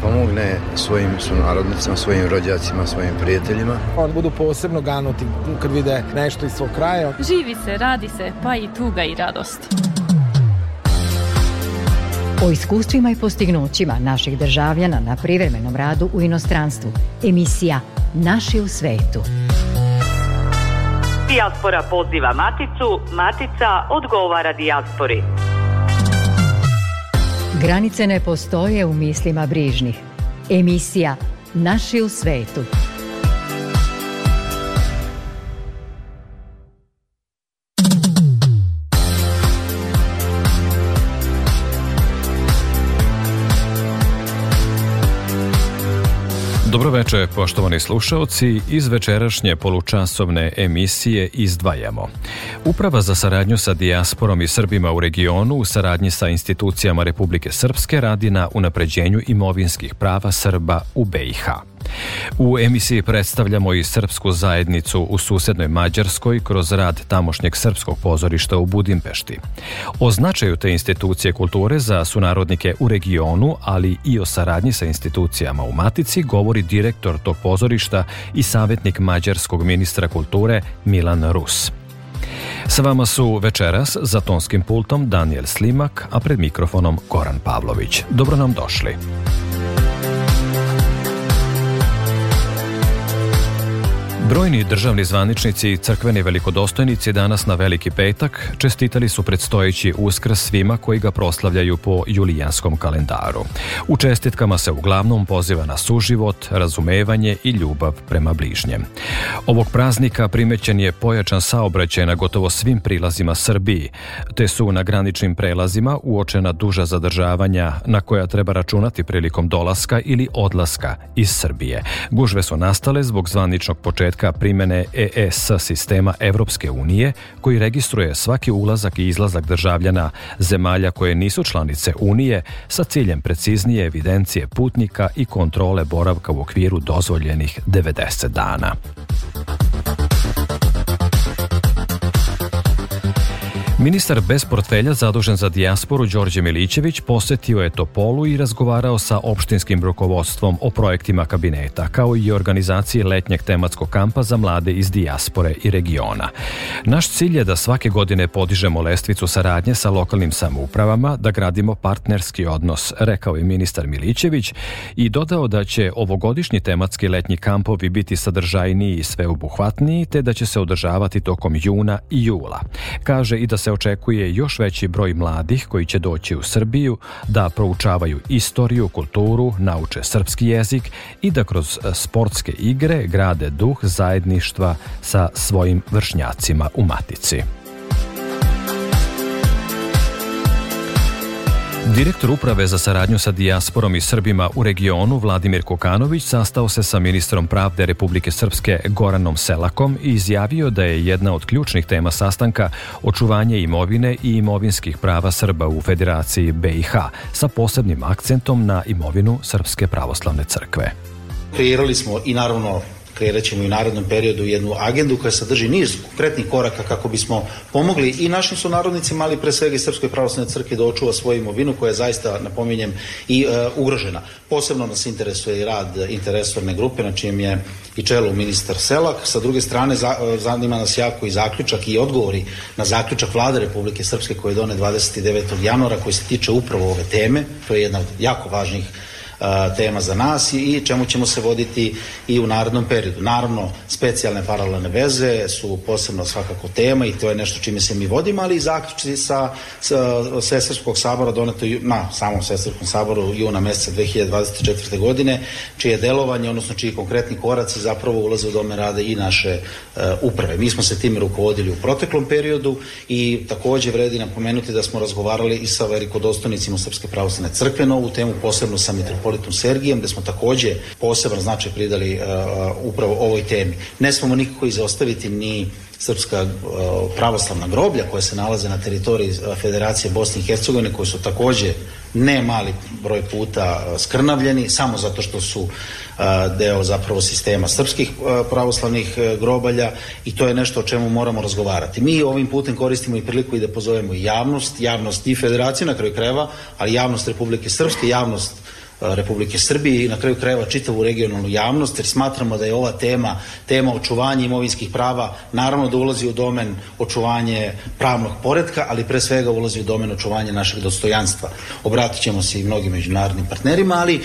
pomogne svojim sunarodnicima, svojim rođacima, svojim prijateljima. Oni budu posebno ganuti kad vide nešto iz svog kraja. Živi se, radi se, pa i tuga i radost. O iskustvima i postignućima naših državljana na privremenom radu u inostranstvu. Emisija Naši u svetu. Dijaspora poziva maticu, matica odgovara dijaspori. Granice ne postoje u mislima brižnih. Emisija Naši u svetu. Dobro večer, poštovani slušaoci. Iz večerašnje polučasovne emisije izdvajamo. Uprava za saradnju sa dijasporom i Srbima u regionu u saradnji sa institucijama Republike Srpske radi na unapređenju imovinskih prava Srba u BiH. U emisiji predstavljamo i srpsku zajednicu u susednoj Mađarskoj kroz rad tamošnjeg srpskog pozorišta u Budimpešti. O značaju te institucije kulture za sunarodnike u regionu, ali i o saradnji sa institucijama u Matici, govori direktor tog pozorišta i savjetnik mađarskog ministra kulture Milan Rus. Sa vama su večeras za tonskim pultom Daniel Slimak, a pred mikrofonom Goran Pavlović. Dobro nam došli. Brojni državni zvaničnici i crkveni velikodostojnici danas na Veliki petak čestitali su predstojeći Uskrs svima koji ga proslavljaju po julijanskom kalendaru. U čestitkama se uglavnom poziva na suživot, razumevanje i ljubav prema bližnjem. Ovog praznika primećen je pojačan saobraćaj na gotovo svim prilazima Srbiji, te su na graničnim prelazima uočena duža zadržavanja na koja treba računati prilikom dolaska ili odlaska iz Srbije. Gužve su nastale zbog zvaničnog početka primene EES sistema Evropske unije, koji registruje svaki ulazak i izlazak državljana zemalja koje nisu članice Unije sa ciljem preciznije evidencije putnika i kontrole boravka u okviru dozvoljenih 90 dana. Ministar bez portfelja zadužen za dijasporu Đorđe Milićević posetio je Topolu i razgovarao sa opštinskim rukovodstvom o projektima kabineta, kao i organizaciji letnjeg tematskog kampa za mlade iz dijaspore i regiona. Naš cilj je da svake godine podižemo lestvicu saradnje sa lokalnim samoupravama, da gradimo partnerski odnos, rekao je ministar Milićević i dodao da će ovogodišnji tematski letnji kampovi biti sadržajniji i sveobuhvatniji, te da će se održavati tokom juna i jula. Kaže i da se očekuje još veći broj mladih koji će doći u Srbiju, da proučavaju istoriju, kulturu, nauče srpski jezik i da kroz sportske igre grade duh zajedništva sa svojim vršnjacima u Matici. Direktor Uprave za saradnju sa dijasporom i Srbima u regionu Vladimir Kokanović sastao se sa ministrom pravde Republike Srpske Goranom Selakom i izjavio da je jedna od ključnih tema sastanka očuvanje imovine i imovinskih prava Srba u Federaciji BiH, sa posebnim akcentom na imovinu Srpske pravoslavne crkve. Kreirali smo i naravno kreirat ćemo i u narednom periodu jednu agendu koja sadrži niz konkretnih koraka kako bismo pomogli i našim sunarodnicima, ali pre svega i Srpskoj pravoslavnoj crkvi da očuva svoju imovinu koja je zaista, napominjem, i ugrožena. Posebno nas interesuje i rad interresorne grupe na čijem je i čelu ministar Selak. Sa druge strane, zanima nas jako i zaključak i odgovori na zaključak Vlade Republike Srpske koji je donet 29. januara koji se tiče upravo ove teme. To je jedna od jako važnih tema za nas i čemu ćemo se voditi i u narednom periodu. Naravno, specijalne paralelne veze su posebno svakako tema i to je nešto čime se mi vodimo, ali i zaključci sa Svesrpskog sabora doneto na samom Svesrpskom saboru juna meseca 2024. godine, čije delovanje, odnosno čiji konkretni koraci zapravo ulaze u dome rada i naše uprave. Mi smo se time rukovodili u proteklom periodu i takođe vredi napomenuti da smo razgovarali i sa velikodostojnicima Srpske pravoslavne crkve na ovu temu, posebno sa mitropolitom Sergijem, gde smo takođe poseban značaj pridali upravo ovoj temi. Ne smemo nikako izostaviti ni srpska pravoslavna groblja koja se nalaze na teritoriji Federacije Bosne i Hercegovine, koji su takođe ne mali broj puta skrnavljeni, samo zato što su deo zapravo sistema srpskih pravoslavnih grobalja i to je nešto o čemu moramo razgovarati. Mi ovim putem koristimo i priliku i da pozovemo i javnost i Federacije na kraju krajeva, ali javnost Republike Srpske, javnost Republike Srbije i na kraju krajeva čitavu regionalnu javnost, jer smatramo da je ova tema očuvanja imovinskih prava, naravno da ulazi u domen očuvanje pravnog poretka, ali pre svega ulazi u domen očuvanja našeg dostojanstva. Obratit ćemo se i mnogim međunarodnim partnerima, ali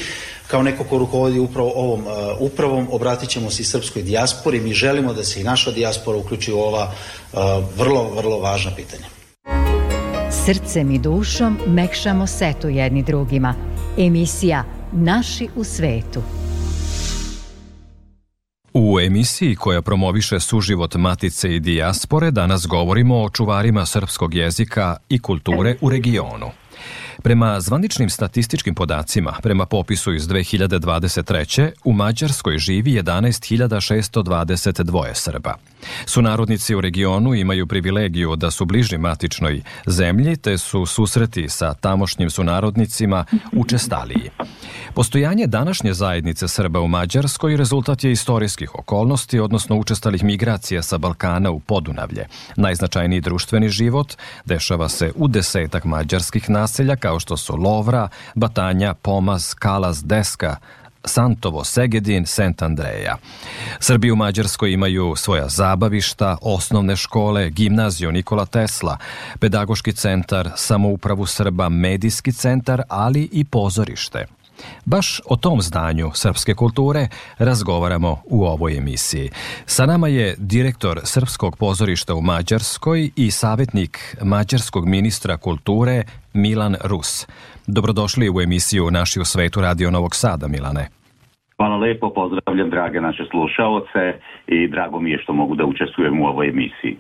kao neko ko rukovodi upravo ovom upravom, obratit ćemo se i srpskoj dijaspori. Mi želimo da se i naša dijaspora uključi u ova vrlo, vrlo važna pitanja. Srcem i dušom mekšamo setu jedni drugima. Emisija Naši u svetu. U emisiji koja promoviše suživot matice i dijaspore danas govorimo o čuvarima srpskog jezika i kulture u regionu. Prema zvaničnim statističkim podacima, prema popisu iz 2023. u Mađarskoj živi 11.622 Srba. Sunarodnici u regionu imaju privilegiju da su bliži matičnoj zemlji, te su susreti sa tamošnjim sunarodnicima učestaliji. Postojanje današnje zajednice Srba u Mađarskoj rezultat je istorijskih okolnosti, odnosno učestalih migracija sa Balkana u Podunavlje. Najznačajniji društveni život dešava se u 10 mađarskih naselja kao što su Lovra, Batanja, Pomaz, Kalaz, Deska, Santovo, Segedin, Sent Andreja. Srbi u Mađarskoj imaju svoja zabavišta, osnovne škole, gimnaziju Nikola Tesla, pedagoški centar, samoupravu Srba, medijski centar, ali i pozorište. Baš o tom zdanju srpske kulture razgovaramo u ovoj emisiji. Sa nama je direktor Srpskog pozorišta u Mađarskoj i savjetnik mađarskog ministra kulture Milan Rus. Dobrodošli u emisiju Naši u svetu Radio Novog Sada, Milane. Hvala lepo, pozdravljam drage naše slušaoce i drago mi je što mogu da učestvujem u ovoj emisiji.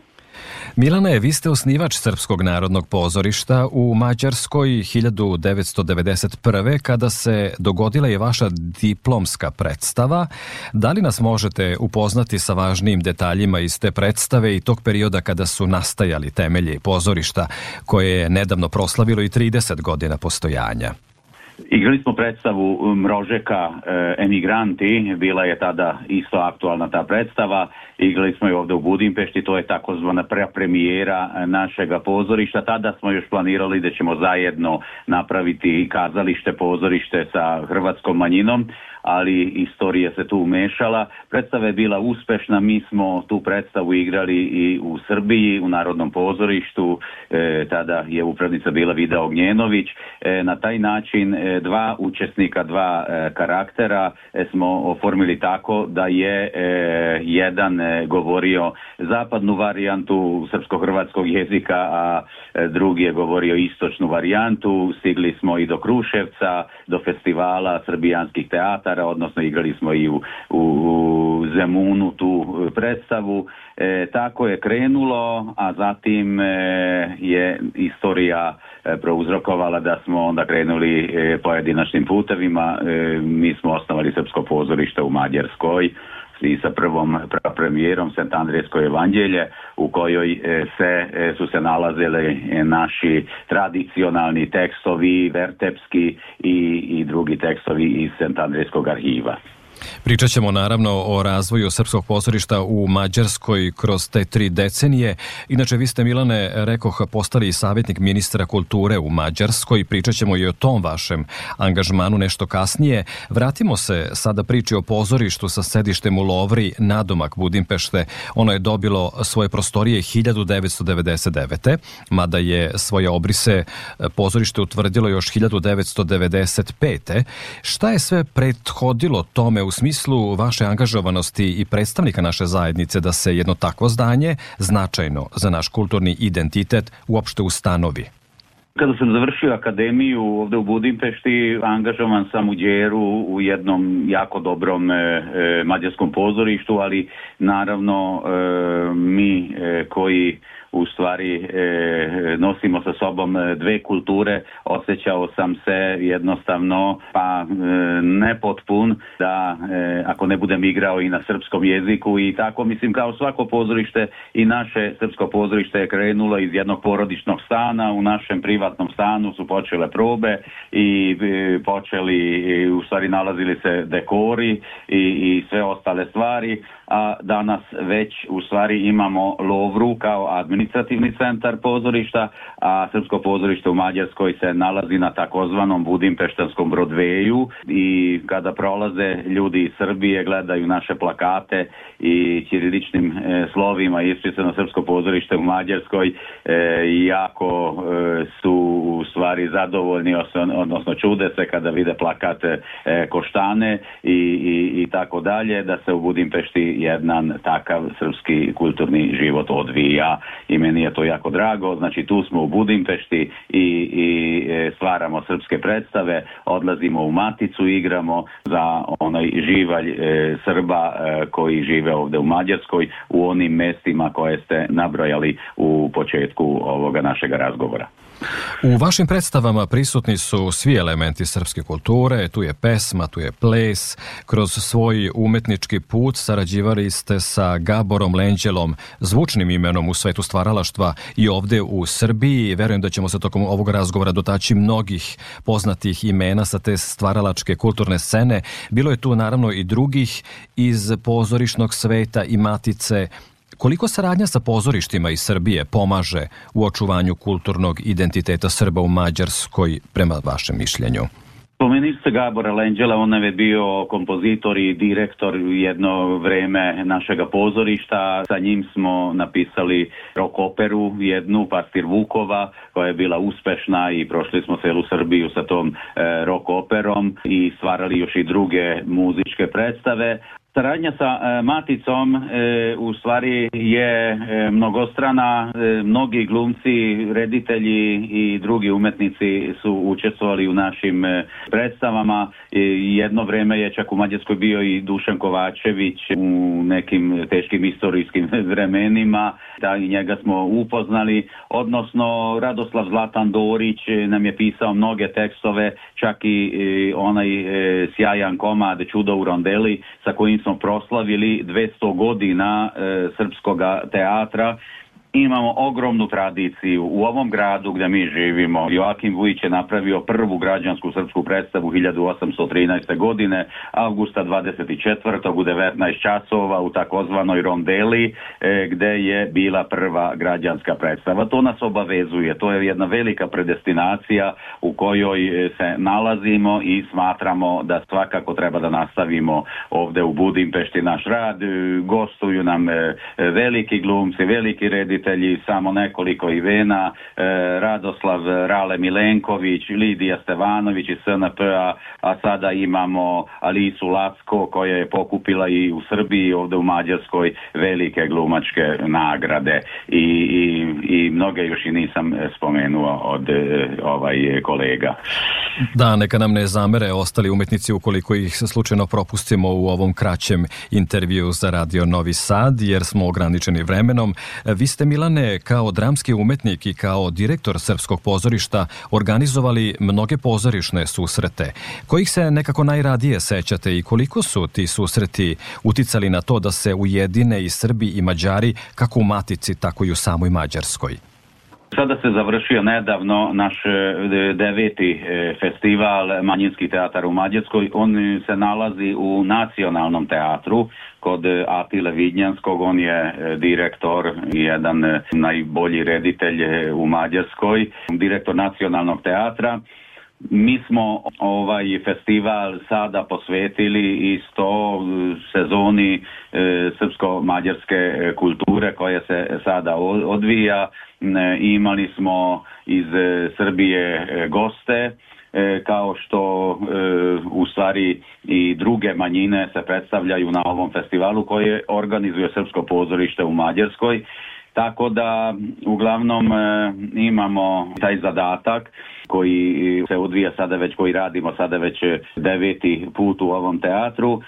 Milane, vi ste osnivač Srpskog narodnog pozorišta u Mađarskoj 1991. kada se dogodila je vaša diplomska predstava. Da li nas možete upoznati sa važnijim detaljima iz te predstave i tog perioda kada su nastajali temelji pozorišta koje je nedavno proslavilo i 30 godina postojanja? Igrali smo predstavu Mrožeka Emigranti, bila je tada isto aktualna ta predstava. Igrali smo je ovde u Budimpešti, to je takozvana premijera našega pozorišta. Tada smo još planirali da ćemo zajedno napraviti kazalište, pozorište sa hrvatskom manjinom, ali istorija se tu umešala. Predstava je bila uspešna, mi smo tu predstavu igrali i u Srbiji, u Narodnom pozorištu, tada je upravnica bila Vida Ognjenović. Na taj način dva učesnika, dva karaktera smo oformili tako da je jedan govorio zapadnu varijantu srpsko-hrvatskog jezika, a drugi je govorio istočnu varijantu. Stigli smo i do Kruševca, do festivala srbijanskih teatara, odnosno igrali smo i u Zemunu tu predstavu. Tako je krenulo, a zatim je istorija prouzrokovala da smo onda krenuli pojedinačnim putevima. Mi smo osnovali Srpsko pozorište u Mađarskoj i sa prvom premijerom Sent Andrejsko evanđelje, u kojoj su se nalazili naši tradicionalni tekstovi, vertepski i drugi tekstovi iz Sent Andrejskog arhiva. Pričat ćemo naravno o razvoju Srpskog pozorišta u Mađarskoj kroz te 3 decenije. Inače, vi ste, Milane, rekoh, postali i savjetnik ministra kulture u Mađarskoj. Pričat ćemo i o tom vašem angažmanu nešto kasnije. Vratimo se sada priči o pozorištu sa sedištem u Lovri, nadomak Budimpešte. Ono je dobilo svoje prostorije 1999. Mada je svoje obrise pozorište utvrdilo još 1995. Šta je sve prethodilo tome u smislu vaše angažovanosti i predstavnika naše zajednice da se jedno takvo zdanje, značajno za naš kulturni identitet, uopšte ustanovi? Kada sam završio akademiju ovde u Budimpešti, angažovan sam u Đeru u jednom jako dobrom mađarskom pozorištu, ali naravno mi koji u stvari nosimo sa sobom dve kulture, osjećao sam se jednostavno nepotpun da ako ne budem igrao i na srpskom jeziku i tako, mislim, kao svako pozorište i naše srpsko pozorište je krenulo iz jednog porodičnog stana. U našem privatnom stanu su počele probe i u stvari nalazili se dekori i sve ostale stvari, a danas već u stvari imamo Lovru kao administraciju administrativni centar pozorišta, a Srpsko pozorište u Mađarskoj se nalazi na takozvanom budimpeštanskom Broadwayu i kada prolaze ljudi iz Srbije, gledaju naše plakate i ćiriličnim slovima ispisano Srpsko pozorište u Mađarskoj, jako su u stvari zadovoljni, odnosno čude se kada vide plakate Koštane i tako dalje, da se u Budimpešti jedan takav srpski kulturni život odvija i meni je to jako drago. Znači tu smo u Budimpešti i stvaramo srpske predstave, odlazimo u Maticu, igramo za onaj živalj Srba koji žive ovde u Mađarskoj u onim mestima koje ste nabrojali u početku ovoga našega razgovora. U vašim predstavama prisutni su svi elementi srpske kulture, tu je pesma, tu je ples. Kroz svoj umetnički put sarađivali ste sa Gaborom Lenđelom, zvučnim imenom u svetu stvaralaštva i ovde u Srbiji. Verujem da ćemo se tokom ovog razgovora dotaći mnogih poznatih imena sa te stvaralačke kulturne scene. Bilo je tu naravno i drugih iz pozorišnog sveta i Matice. Koliko saradnja sa pozorištima iz Srbije pomaže u očuvanju kulturnog identiteta Srba u Mađarskoj, prema vašem mišljenju? Spomenuli ste Gabora Lenđela, on je bio kompozitor i direktor jedno vreme našega pozorišta. Sa njim smo napisali rock operu, jednu, Pastir Vukova, koja je bila uspešna i prošli smo celu Srbiju sa tom rock operom i stvarali još i druge muzičke predstave. Saradnja sa Maticom u stvari je mnogostrana. Mnogi glumci, reditelji i drugi umetnici su učestvovali u našim predstavama. Jedno vreme je čak u Mađarskoj bio i Dušan Kovačević u nekim teškim istorijskim vremenima. Da i njega smo upoznali. Odnosno Radoslav Zlatan Dorić nam je pisao mnoge tekstove, čak i onaj sjajan komad Čudo u rondeli sa kojim smo proslavili 200 godina srpskog teatra. Imamo ogromnu tradiciju u ovom gradu gdje mi živimo. Joakim Vujić je napravio prvu građansku srpsku predstavu 1813. godine, avgusta 24. u 19 časova u takozvanoj rondeli gdje je bila prva građanska predstava. To nas obavezuje, to je jedna velika predestinacija u kojoj se nalazimo i smatramo da svakako treba da nastavimo ovdje u Budimpešti naš rad. Gostuju nam veliki glumci, veliki reditelji, samo nekoliko imena, Radoslav Rale Milenković, Lidija Stevanović iz SNP-a, a sada imamo Alisu Lacko koja je pokupila i u Srbiji, ovdje u Mađarskoj, velike glumačke nagrade i mnoge još i nisam spomenuo od kolega. Da, neka nam ne zamere ostali umetnici ukoliko ih slučajno propustimo u ovom kraćem intervju za Radio Novi Sad, jer smo ograničeni vremenom. Vi ste, Milane, kao dramski umetnik i kao direktor Srpskog pozorišta organizovali mnoge pozorišne susrete. Kojih se nekako najradije sećate i koliko su ti susreti uticali na to da se ujedine i Srbi i Mađari kako u Matici, tako i u samoj Mađarskoj? Sada se završio nedavno naš 9. festival Manjinski teatar u Mađarskoj. On se nalazi u Nacionalnom teatru kod Atile Vidnjanskog. On je direktor i jedan najbolji reditelj u Mađarskoj, direktor Nacionalnog teatra. Mi smo ovaj festival sada posvetili isto sezoni srpsko-mađarske kulture koja se sada odvija. Imali smo iz Srbije goste, kao što u stvari i druge manjine se predstavljaju na ovom festivalu koje organizuje Srpsko pozorište u Mađarskoj. Tako da uglavnom imamo taj zadatak koji se odvija sada već, koji radimo sada već 9. put u ovom teatru.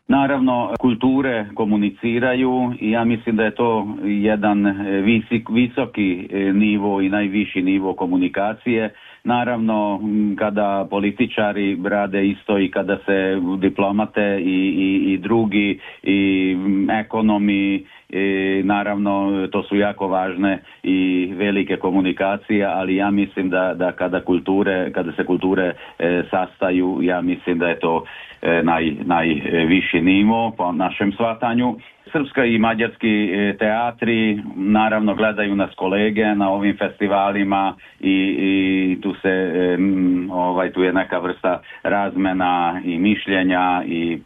Naravno, kulture komuniciraju i ja mislim da je to jedan visoki nivo i najviši nivo komunikacije. Naravno, kada političari rade isto i kada se diplomate i drugi i ekonomi, naravno to su jako važne i velike komunikacije, ali ja mislim da kada se kulture sastaju, ja mislim da je to najviši nivo po našem shvatanju. Srpska i mađarski teatri naravno gledaju nas kolege na ovim festivalima i tu je neka vrsta razmena i mišljenja i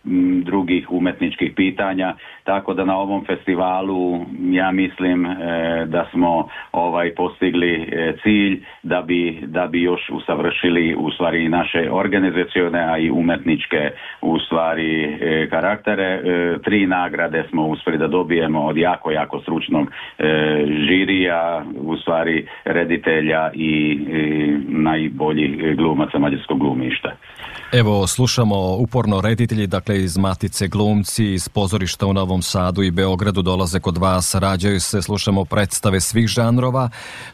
drugih umetničkih pitanja, tako da na ovom festivalu ja mislim da smo postigli cilj da bi još usavršili u stvari naše organizacione, a i umetničke u stvari karaktere. 3 nagrade smo uspjeli da dobijemo od jako stručnog žirija, u stvari reditelja i najboljih glumaca mađarskog glumišta. Evo, slušamo uporno reditelji, dakle iz Matice glumci, iz pozorišta u Novom Sadu i Beogradu dolaze kod vas, rađaju se, slušamo predstave svih žanrova,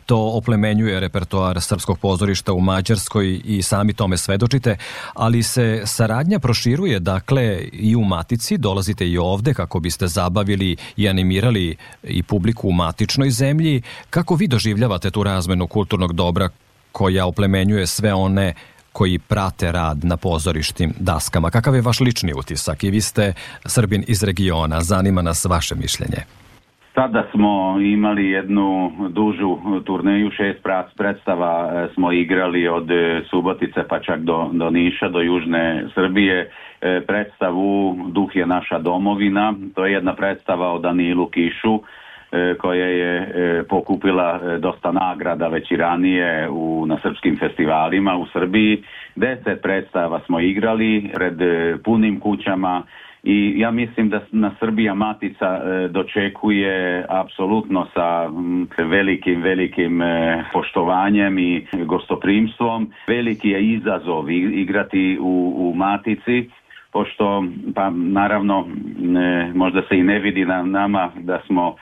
to oplemenjuje repertoar srpskog pozorišta u Mađarskoj i sami tome svedočite, ali se saradnja proširuje, dakle i u Matici, dolazite i ovde kako biste zabavili i animirali i publiku u matičnoj zemlji. Kako vi doživljavate tu razmenu kulturnog dobra koja oplemenjuje sve one koji prate rad na pozorištim daskama? Kakav je vaš lični utisak? I vi ste Srbin iz regiona, zanima nas vaše mišljenje. Sada smo imali jednu dužu turneju, 6 predstava smo igrali od Subotice pa čak do Niša, do južne Srbije. Predstavu Duh je naša domovina, to je jedna predstava o Danilu Kišu, koja je pokupila dosta nagrada već i ranije na srpskim festivalima u Srbiji. 10 predstava smo igrali pred punim kućama i ja mislim da nas Srbija Matica dočekuje apsolutno sa velikim poštovanjem i gostoprimstvom. Veliki je izazov igrati u Matici, pošto pa naravno možda se i ne vidi na nama da smo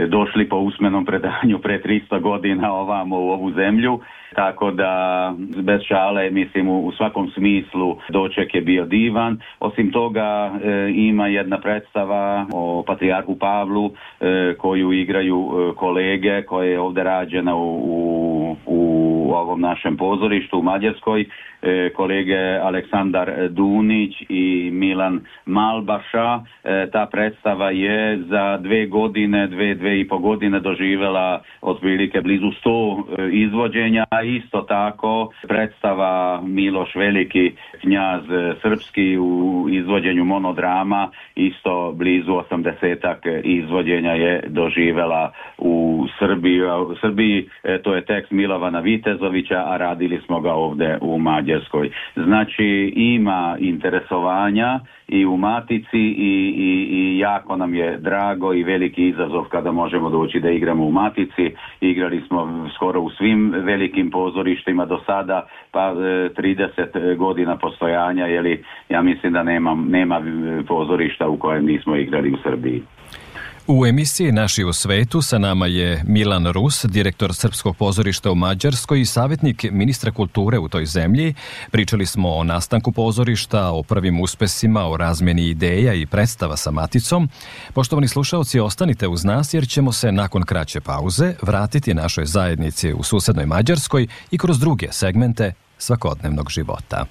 došli po usmenom predanju pre 300 godina ovamo u ovu zemlju, tako da bez šale mislim u svakom smislu doček je bio divan. Osim toga ima jedna predstava o Patrijarhu Pavlu koju igraju kolege, koja je ovdje rađena u ovom našem pozorištu u Mađarskoj, kolege Aleksandar Dunić i Milan Malbaša. Ta predstava je za 2,5 godine doživjela otprilike blizu 100 izvođenja. Isto tako predstava Miloš Veliki, knjaz srpski, u izvođenju monodrama, isto blizu 80 izvođenja je doživjela u Srbiji. To je tekst Milovana Vitezovića, a radili smo ga ovdje u Mađarskoj. Znači ima interesovanja i u Matici i jako nam je drago i veliki izazov kada možemo doći da igramo u Matici. Igrali smo skoro u svim velikim pozorištima do sada, pa 30 godina postojanja, ja mislim da nema pozorišta u kojem nismo igrali u Srbiji. U emisiji Naši u svetu sa nama je Milan Rus, direktor Srpskog pozorišta u Mađarskoj i savjetnik ministra kulture u toj zemlji. Pričali smo o nastanku pozorišta, o prvim uspesima, o razmjeni ideja i predstava sa Maticom. Poštovani slušaoci, ostanite uz nas jer ćemo se nakon kraće pauze vratiti našoj zajednici u susednoj Mađarskoj i kroz druge segmente svakodnevnog života.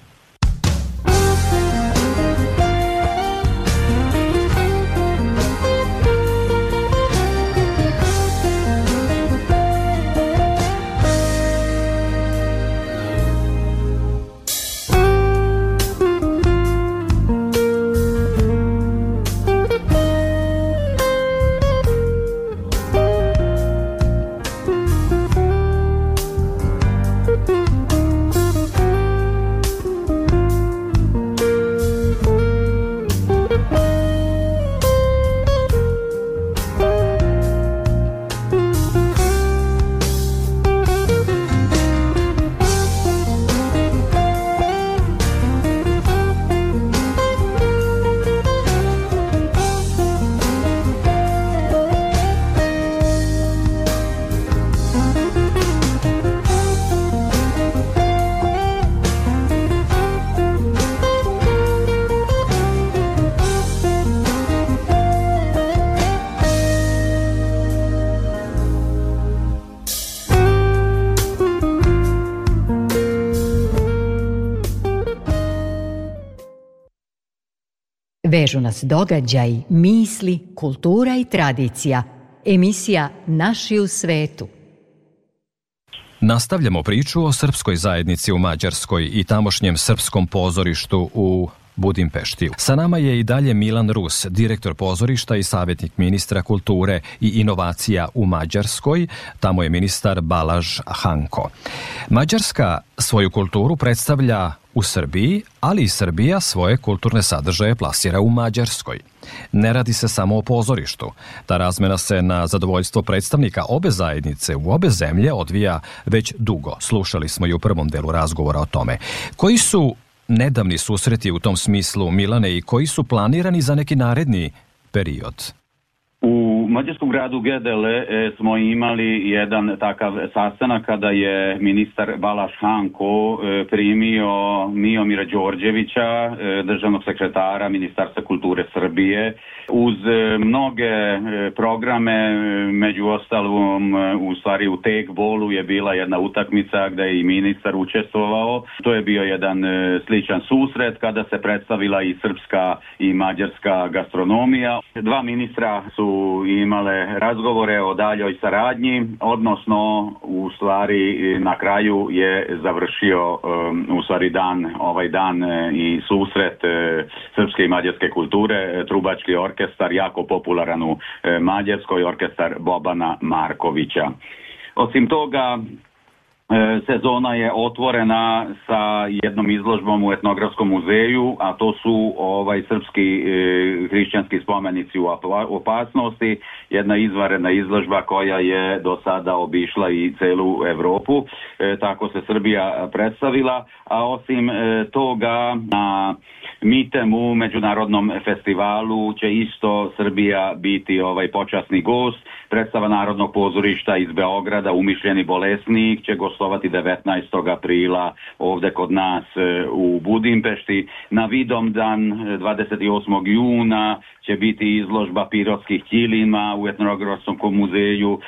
Vežu nas događaj, misli, kultura i tradicija. Emisija Naši u svetu. Nastavljamo priču o srpskoj zajednici u Mađarskoj i tamošnjem srpskom pozorištu u Budimpešti. Sa nama je i dalje Milan Rus, direktor pozorišta i savjetnik ministra kulture i inovacija u Mađarskoj. Tamo je ministar Balázs Hanko. Mađarska svoju kulturu predstavlja u Srbiji, ali i Srbija svoje kulturne sadržaje plasira u Mađarskoj. Ne radi se samo o pozorištu. Ta razmena se na zadovoljstvo predstavnika obe zajednice u obe zemlje odvija već dugo. Slušali smo i u prvom delu razgovora o tome. Koji su nedavni susreti u tom smislu, Milane, i koji su planirani za neki naredni period? U mađarskom gradu Gedele smo imali jedan takav sastanak kada je ministar Balázs Hanko primio Miomira Đorđevića, državnog sekretara Ministarstva kulture Srbije, uz mnoge programe, među ostalom u stvari u tekbolu je bila jedna utakmica gdje je i ministar učestvovao. To je bio jedan sličan susret kada se predstavila i srpska i mađarska gastronomija. Dva ministra su imale razgovore o daljoj saradnji, odnosno u stvari na kraju je završio u stvari ovaj dan i susret srpske i mađarske kulture, trubački orkestar, jako popularan u Mađarskoj, orkestar Bobana Markovića. Osim toga, sezona je otvorena sa jednom izložbom u etnografskom muzeju, a to su srpski hrišćanski spomenici u opasnosti, jedna izvanredna izložba koja je do sada obišla i celu Evropu, tako se Srbija predstavila, a osim toga na Mitemu, međunarodnom festivalu, će isto Srbija biti počasni gost. Predstava Narodnog pozorišta iz Beograda, Umišljeni bolesnik, će gostovati 19. aprila ovdje kod nas u Budimpešti. Na Vidovdan 28. juna će biti izložba pirotskih ćilima u etnografskom muzeju.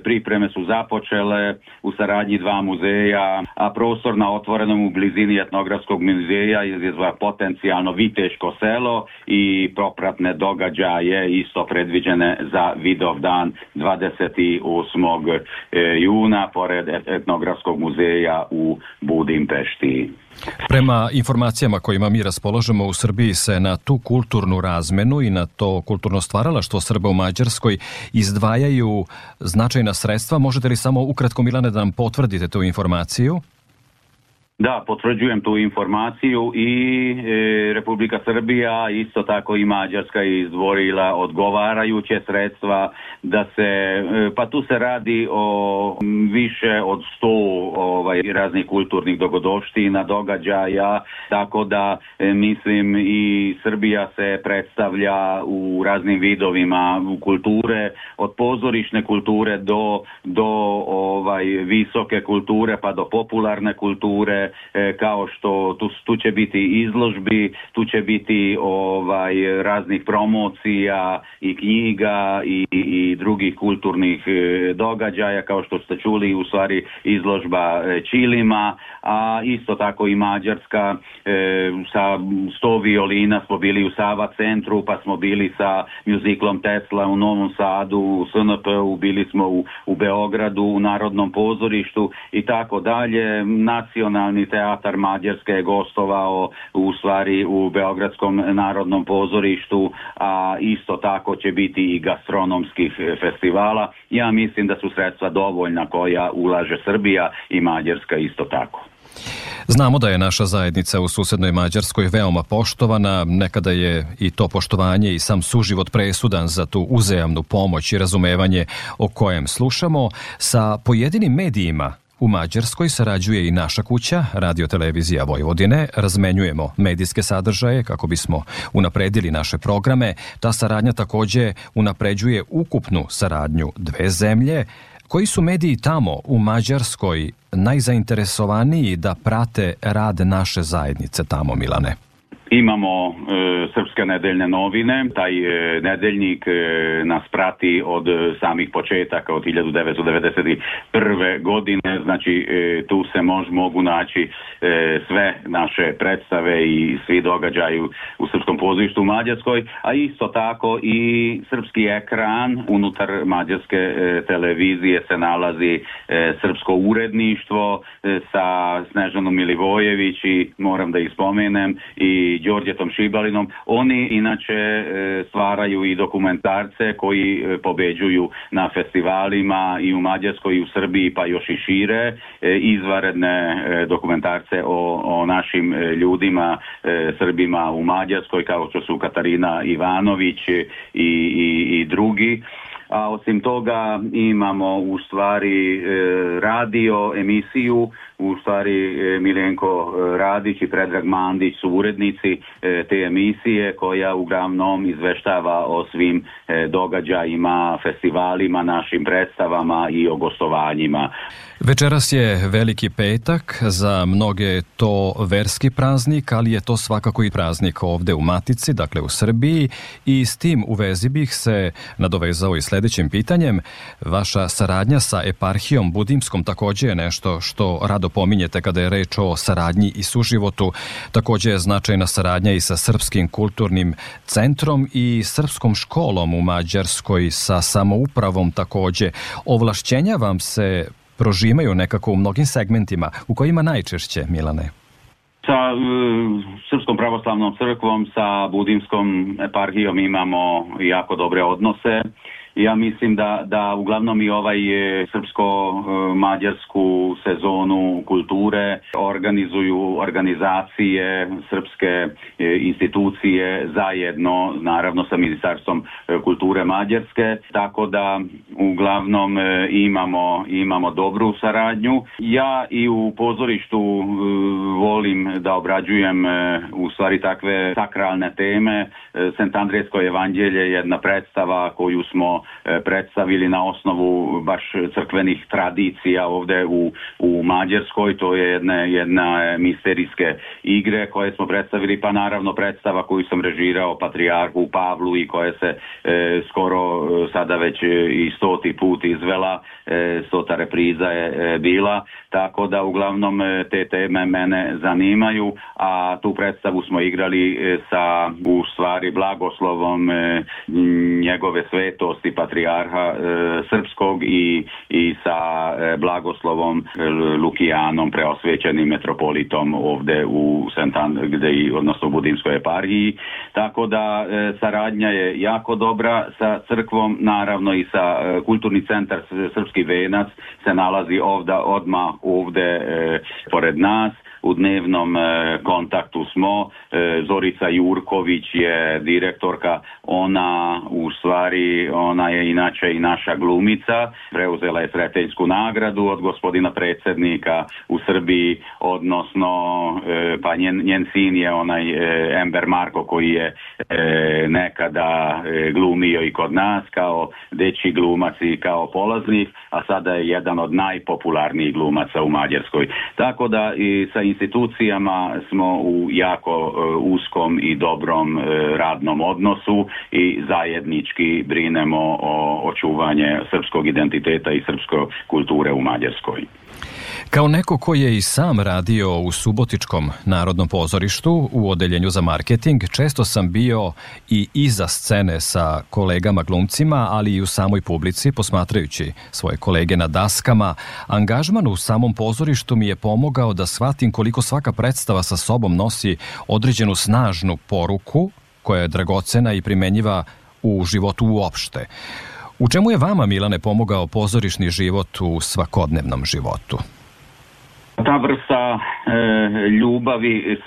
Pripreme su započele u saradnji dva muzeja, a prostor na otvorenom u blizini etnografskog muzeja izazva potencijalno viteško selo i propratne događaje isto predviđene za Vidovdan 28. juna pored etnografskog muzeja u Budimpešti. Prema informacijama kojima mi raspolažemo, u Srbiji se na tu kulturnu razmenu i na to kulturno stvaralaštvo Srba u Mađarskoj izdvajaju značajna sredstva. Možete li samo ukratko, Milane, da nam potvrdite tu informaciju? Da, potvrđujem tu informaciju i Republika Srbija, isto tako i Mađarska je izdvojila odgovarajuće sredstva da se, pa tu se radi o više od 100 raznih kulturnih dogodovština, događaja, tako da mislim i Srbija se predstavlja u raznim vidovima kulture, od pozorišne kulture do visoke kulture pa do popularne kulture, kao što tu će biti izložbi, tu će biti raznih promocija i knjiga i drugih kulturnih događaja, kao što ste čuli, u stvari izložba ćilima, a isto tako i Mađarska sa 100 violina smo bili u Sava centru, pa smo bili sa mjuziklom Tesla u Novom Sadu, u SNP-u, bili smo u Beogradu, u Narodnom pozorištu i tako dalje. Nacionalni teatar Mađarske je gostovao u stvari u Beogradskom Narodnom pozorištu, a isto tako će biti i gastronomskih festivala. Ja mislim da su sredstva dovoljna koja ulaže Srbija i Mađarska isto tako. Znamo da je naša zajednica u susednoj Mađarskoj veoma poštovana, nekada je i to poštovanje i sam suživot presudan za tu uzajamnu pomoć i razumevanje o kojem slušamo. Sa pojedinim medijima u Mađarskoj sarađuje i naša kuća, Radio-televizija Vojvodine, razmenjujemo medijske sadržaje kako bismo unapredili naše programe. Ta saradnja također unapređuje ukupnu saradnju dve zemlje. Koji su mediji tamo u Mađarskoj najzainteresovaniji da prate rad naše zajednice tamo, Milane? Imamo Srpske nedeljne novine, taj nedeljnik nas prati od samih početaka, od 1991. godine, znači tu se mogu naći sve naše predstave i svi događaju u Srpskom pozorištu u Mađarskoj, a isto tako i srpski ekran unutar mađarske televizije se nalazi srpsko uredništvo sa Snežanom Milivojević i moram da ih spomenem i Đorđetom Šibalinom. Oni inače stvaraju i dokumentarce koji pobeđuju na festivalima i u Mađarskoj i u Srbiji pa još i šire, izvanredne dokumentarce o našim ljudima, Srbima u Mađarskoj kao što su Katarina Ivanović i drugi. A osim toga imamo u stvari radio emisiju, u stvari Miljenko Radić i Predrag Mandić su urednici te emisije koja uglavnom izveštava o svim događajima, festivalima, našim predstavama i o gostovanjima. Večeras je Veliki petak, za mnoge je to verski praznik, ali je to svakako i praznik ovde u Matici, dakle u Srbiji, i s tim u vezi bih se nadovezao i sledećim pitanjem. Vaša saradnja sa eparhijom budimskom takođe je nešto što rado pominjete kada je reč o saradnji i suživotu. Takođe je značajna saradnja i sa Srpskim kulturnim centrom i Srpskom školom u Mađarskoj, sa samoupravom takođe. Ovlašćenja vam se prožimaju nekako u mnogim segmentima. U kojima najčešće, Milane? Sa Srpskom pravoslavnom crkvom, sa budimskom eparhijom imamo jako dobre odnose. Ja mislim da uglavnom i srpsko-mađarsku sezonu kulture organizuju organizacije, srpske institucije zajedno, naravno sa Ministarstvom kulture Mađarske, tako da uglavnom imamo dobru saradnju. Ja i u pozorištu volim da obrađujem u stvari takve sakralne teme. Sentandrejsko evanđelje je jedna predstava koju smo predstavili na osnovu baš crkvenih tradicija ovde u Mađarskoj. To je jedna misterijske igre koje smo predstavili, pa naravno predstava koju sam režirao Patrijarhu Pavlu i koja se skoro sada već i 100. put izvela, 100. repriza je bila, tako da uglavnom te teme mene zanimaju, a tu predstavu smo igrali sa u stvari blagoslovom njegove svetosti Patrijarha Srpskog i sa blagoslovom Lukijanom, preosvećenim metropolitom ovde u odnosno u Budimskoj eparhiji. Tako da saradnja je jako dobra sa crkvom, naravno i sa Kulturni centar Srpski venac se nalazi odmah ovde pored nas. U dnevnom kontaktu smo. Zorica Jurković je direktorka, ona je inače i naša glumica, preuzela je Sretenjsku nagradu od gospodina predsjednika u Srbiji, odnosno pa njen sin je onaj Ember Marko koji je nekada glumio i kod nas kao dečji glumac i kao polaznik, a sada je jedan od najpopularnijih glumaca u Mađarskoj. Tako da i sa institucijama smo u jako uskom i dobrom radnom odnosu i zajednički brinemo o očuvanje srpskog identiteta i srpske kulture u Mađarskoj. Kao neko ko je i sam radio u Subotičkom narodnom pozorištu u odeljenju za marketing, često sam bio i iza scene sa kolegama glumcima, ali i u samoj publici, posmatrajući svoje kolege na daskama. Angažman u samom pozorištu mi je pomogao da shvatim koliko svaka predstava sa sobom nosi određenu snažnu poruku koja je dragocena i primenjiva u životu uopšte. U čemu je vama, Milane, pomogao pozorišni život u svakodnevnom životu? Ta vrsta ljubavi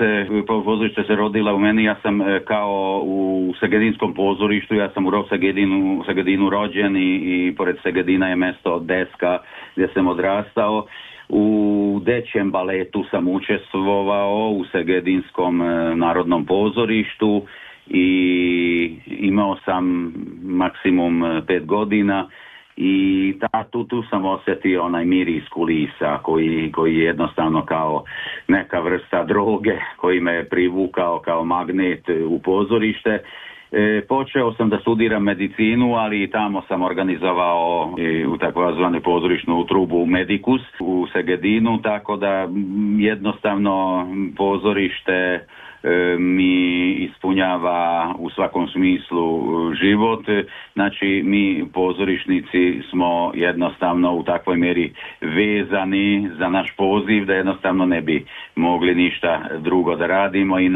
pozorište se rodila u meni. Ja sam kao u Segedinskom pozorištu, ja sam u Segedinu rođen i pored Segedina je mesto Deska gdje sam odrastao. U dečjem baletu sam učestvovao u Segedinskom narodnom pozorištu i imao sam maksimum 5 godina. I tu sam osjetio onaj miris kulisa koji jednostavno kao neka vrsta droge koji me je privukao kao magnet u pozorište. Počeo sam da studiram medicinu, ali i tamo sam organizovao u takozvanu pozorišnu trubu Medicus u Segedinu, tako da jednostavno pozorište mi ispunjava u svakom smislu život. Znači mi pozorišnici smo jednostavno u takvoj mjeri vezani za naš poziv da jednostavno ne bi mogli ništa drugo da radimo i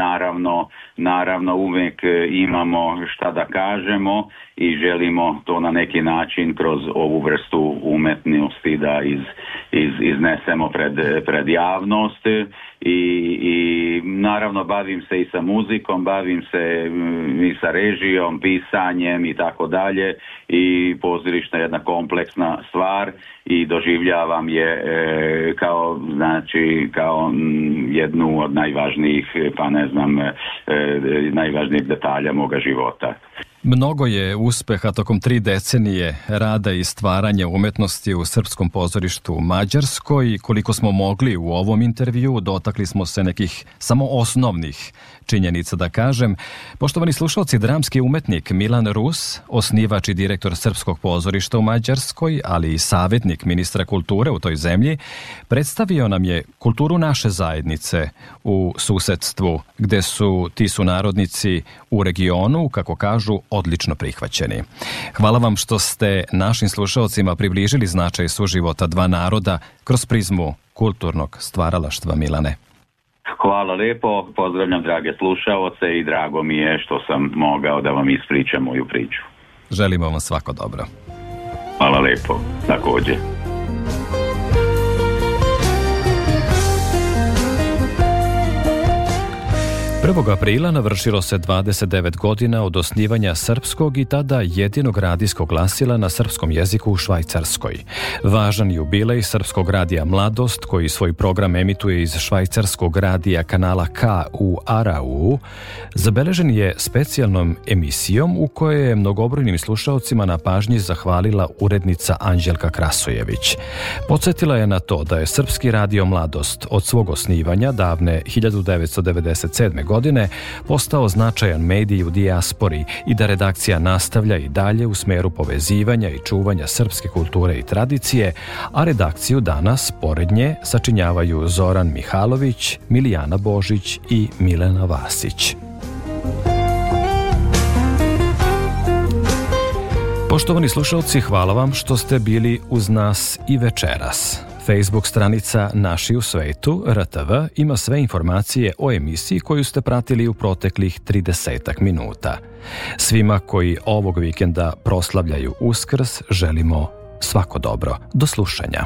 naravno uvijek imamo šta da kažemo i želimo to na neki način kroz ovu vrstu umetnosti da iznesemo pred javnost i naravno bavim se i sa muzikom, bavim se i sa režijom, pisanjem i tako dalje i pozorišna je jedna kompleksna stvar i doživljavam je kao jednu od najvažnijih, najvažnijih detalja moga života. Mnogo je uspeha tokom 3 decenije rada i stvaranja umetnosti u srpskom pozorištu u Mađarskoj. Koliko smo mogli u ovom intervju, dotakli smo se nekih samo osnovnih činjenica da kažem. Poštovani slušalci, dramski umetnik Milan Rus, osnivač i direktor Srpskog pozorišta u Mađarskoj, ali i savjetnik ministra kulture u toj zemlji, predstavio nam je kulturu naše zajednice u susedstvu, gde su ti sunarodnici u regionu, kako kažu, odlično prihvaćeni. Hvala vam što ste našim slušalcima približili značaj suživota dva naroda kroz prizmu kulturnog stvaralaštva, Milane. Hvala lepo, pozdravljam drage slušaoce i drago mi je što sam mogao da vam ispričam moju priču. Želimo vam svako dobro. Hvala lepo, također. 1. aprila navršilo se 29 godina od osnivanja srpskog i tada jedinog radijskog glasila na srpskom jeziku u Švajcarskoj. Važan jubilej srpskog radija Mladost, koji svoj program emituje iz švajcarskog radija kanala K u Arau, zabeležen je specijalnom emisijom u kojoj je mnogobrojnim slušaocima na pažnji zahvalila urednica Anđelka Krasojević. Podsjetila je na to da je srpski radio Mladost od svog osnivanja davne 1997. godine postao značajan medij u dijaspori i da redakcija nastavlja i dalje u smeru povezivanja i čuvanja srpske kulture i tradicije, a redakciju danas, pored nje, sačinjavaju Zoran Mihalović, Milijana Božić i Milena Vasić. Poštovani slušalci, hvala vam što ste bili uz nas i večeras. Facebook stranica Naši u svetu, RTV, ima sve informacije o emisiji koju ste pratili u proteklih 30 minuta. Svima koji ovog vikenda proslavljaju Uskrs želimo svako dobro. Do slušanja.